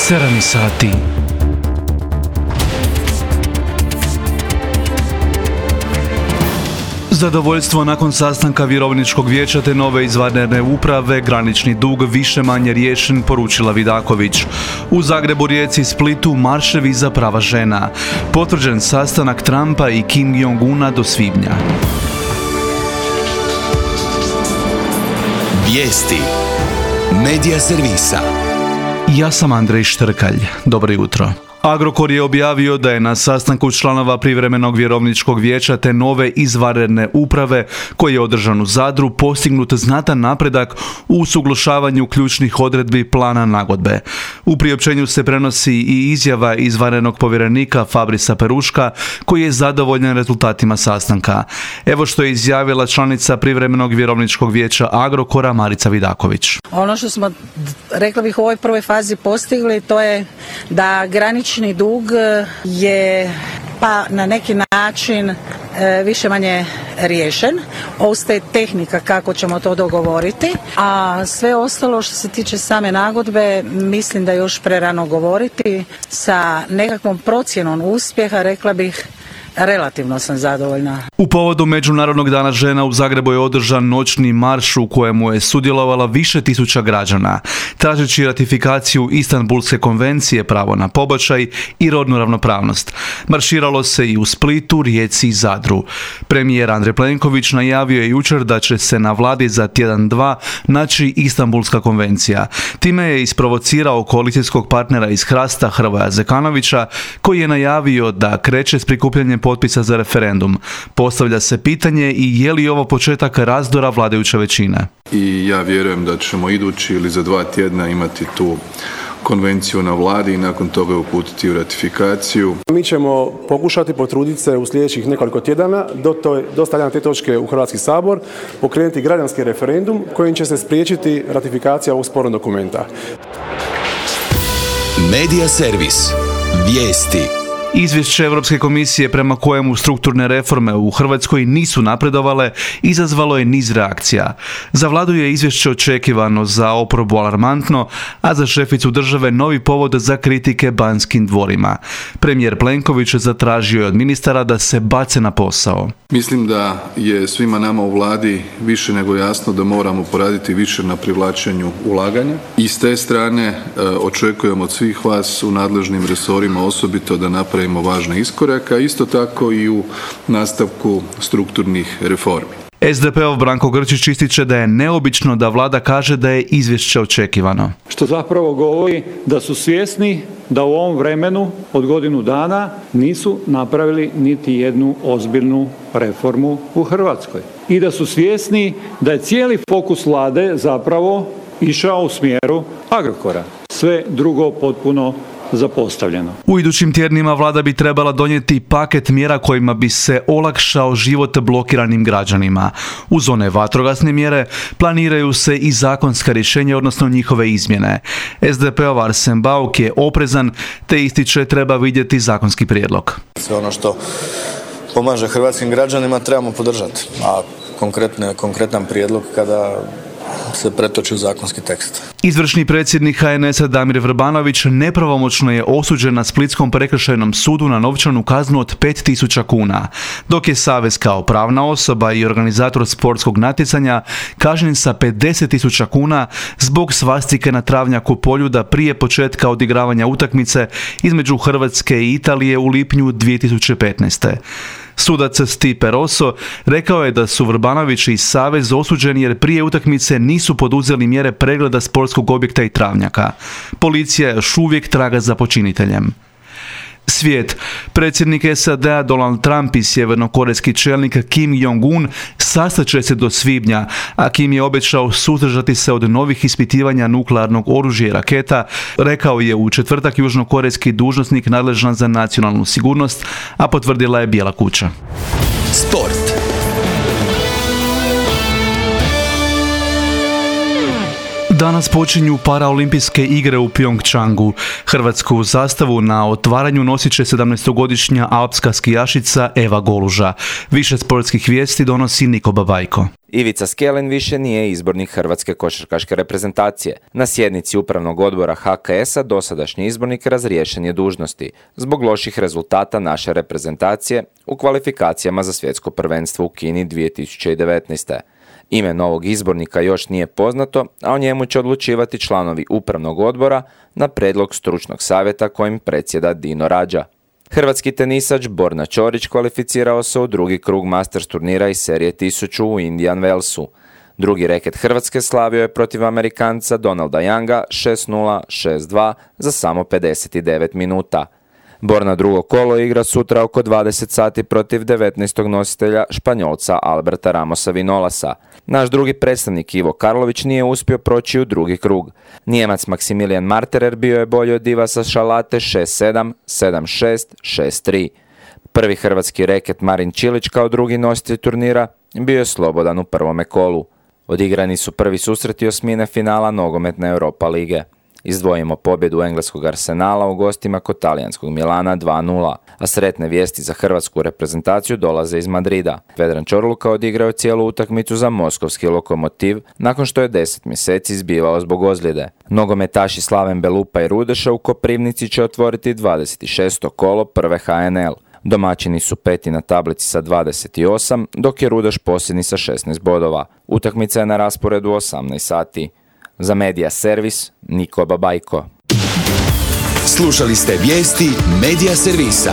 7 sati. Zadovoljstvo nakon sastanka Vjerovničkog vijeća te nove izvanredne uprave, granični dug više-manje riješen, poručila Vidaković. U Zagrebu, Rijeci i Splitu marševi za prava žena. Potvrđen sastanak Trumpa i Kim Jong-una do svibnja. Vijesti Medija servisa. Ja sam Andrej Štrkalj. Dobro jutro. Agrokor je objavio da je na sastanku članova privremenog vjerovničkog vijeća te nove izvanredne uprave, koji je održan u Zadru, postignut znatan napredak u usuglašavanju ključnih odredbi plana nagodbe. U priopćenju se prenosi i izjava izvanrednog povjerenika Fabrisa Peruška, koji je zadovoljan rezultatima sastanka. Evo što je izjavila članica privremenog vjerovničkog vijeća Agrokora Marica Vidaković. Ono što smo, rekla bih, u ovoj prvoj fazi postigli, to je da granični dug je pa na neki način više-manje riješen. Ostaje tehnika kako ćemo to dogovoriti, a sve ostalo što se tiče same nagodbe mislim da je još prerano govoriti. Sa nekakvom procjenom uspjeha, rekla bih, relativno sam zadovoljna. U povodu Međunarodnog dana žena u Zagrebu je održan noćni marš u kojemu je sudjelovala više tisuća građana, tražeći ratifikaciju Istanbulske konvencije, pravo na pobačaj i rodnu ravnopravnost. Marširalo se i u Splitu, Rijeci i Zadru. Premijer Andrej Plenković najavio je jučer da će se na vladi za tjedan-dva naći Istanbulska konvencija. Time je isprovocirao koalicijskog partnera iz Hrasta Hrvoja Zekanovića, koji je najavio da kreće s prikupljanjem potpisa za referendum. Postavlja se pitanje i je li ovo početak razdora vladajuće većine. I ja vjerujem da ćemo idući ili za 2 tjedna imati tu konvenciju na vladi i nakon toga uputiti u ratifikaciju. Mi ćemo pokušati potruditi se u sljedećih nekoliko tjedana do stavljanja te točke u Hrvatski sabor pokrenuti građanski referendum kojim će se spriječiti ratifikacija ovog spornog dokumenta. Medija servis. Vijesti. Izvješće Europske komisije prema kojemu strukturne reforme u Hrvatskoj nisu napredovale izazvalo je niz reakcija. Za vladu je izvješće očekivano, za oporbu alarmantno, a za šeficu države novi povod za kritike Banskim dvorima. Premijer Plenković zatražio je od ministara da se bace na posao. Mislim da je svima nama u vladi više nego jasno da moramo poraditi više na privlačenju ulaganja. I s te strane očekujem od svih vas u nadležnim resorima osobito da napravimo važne iskorake, a isto tako i u nastavku strukturnih reformi. SDP-ov Branko Grčić ističe da je neobično da vlada kaže da je izvješće očekivano. Što zapravo govori da su svjesni da u ovom vremenu od godinu dana nisu napravili niti jednu ozbiljnu reformu u Hrvatskoj. I da su svjesni da je cijeli fokus vlade zapravo išao u smjeru Agrokora. Sve drugo potpuno zapostavljeno. U idućim tjednima vlada bi trebala donijeti paket mjera kojima bi se olakšao život blokiranim građanima. Uz one vatrogasne mjere planiraju se i zakonska rješenja, odnosno njihove izmjene. SDP-ov Arsen Bauk je oprezan te ističe treba vidjeti zakonski prijedlog. Sve ono što pomaže hrvatskim građanima trebamo podržati, a konkretan prijedlog kada se pretoči u zakonski tekst. Izvršni predsjednik HNS-a Damir Vrbanović nepravomoćno je osuđen na Splitskom prekršajnom sudu na novčanu kaznu od 5.000 kuna, dok je Savez kao pravna osoba i organizator sportskog natjecanja kažnjen sa 50.000 kuna zbog svastike na travnjaku Poljuda prije početka odigravanja utakmice između Hrvatske i Italije u lipnju 2015. Sudac Stipe Rosso rekao je da su Vrbanović i Savez osuđeni jer prije utakmice nisu poduzeli mjere pregleda sportskog objekta i travnjaka. Policija još uvijek traga za počiniteljem. Svijet. Predsjednik SAD-a Donald Trump i sjevernokorejski čelnik Kim Jong-un sastaće se do svibnja, a Kim je obećao suzdržati se od novih ispitivanja nuklearnog oružja i raketa, rekao je u četvrtak južnokorejski dužnosnik nadležan za nacionalnu sigurnost, a potvrdila je Bijela kuća. Danas počinju paraolimpijske igre u Pjongčangu. Hrvatsku zastavu na otvaranju nosit će 17-godišnja alpska skijašica Eva Goluža. Više sportskih vijesti donosi Niko Babajko. Ivica Skelin više nije izbornik hrvatske košarkaške reprezentacije. Na sjednici upravnog odbora HKS-a dosadašnji izbornik razriješen je dužnosti zbog loših rezultata naše reprezentacije u kvalifikacijama za svjetsko prvenstvo u Kini 2019. Ime novog izbornika još nije poznato, a o njemu će odlučivati članovi upravnog odbora na prijedlog stručnog savjeta kojim predsjeda Dino Rađa. Hrvatski tenisač Borna Ćorić kvalificirao se u drugi krug Masters turnira iz serije 1000 u Indian Wellsu. Drugi reket Hrvatske slavio je protiv Amerikanca Donalda Younga 6-0, 6-2 za samo 59 minuta. Borna drugo kolo igra sutra oko 20 sati protiv 19. nositelja Španjolca Alberta Ramosa Vinolasa. Naš drugi predstavnik Ivo Karlović nije uspio proći u drugi krug. Nijemac Maximilian Marterer bio je bolji od Divasa Šalate 6-7, 7-6, 6-3. Prvi hrvatski reket Marin Čilić kao drugi nositelj turnira bio je slobodan u prvome kolu. Odigrani su prvi susreti osmine finala nogometne Europa lige. Izdvojimo pobjedu engleskog Arsenala u gostima kod talijanskog Milana 2-0, a sretne vijesti za hrvatsku reprezentaciju dolaze iz Madrida. Vedran Čorluka odigrao cijelu utakmicu za moskovski Lokomotiv nakon što je 10 mjeseci izbivao zbog ozljede. Nogometaši Slaven Belupa i Rudeša u Koprivnici će otvoriti 26. kolo prve HNL. Domaćini su peti na tablici sa 28, dok je Rudeš posljednji sa 16 bodova. Utakmica je na rasporedu 18 sati. Za Medija Servis, Niko Babajko. Slušali ste vijesti Medija Servisa.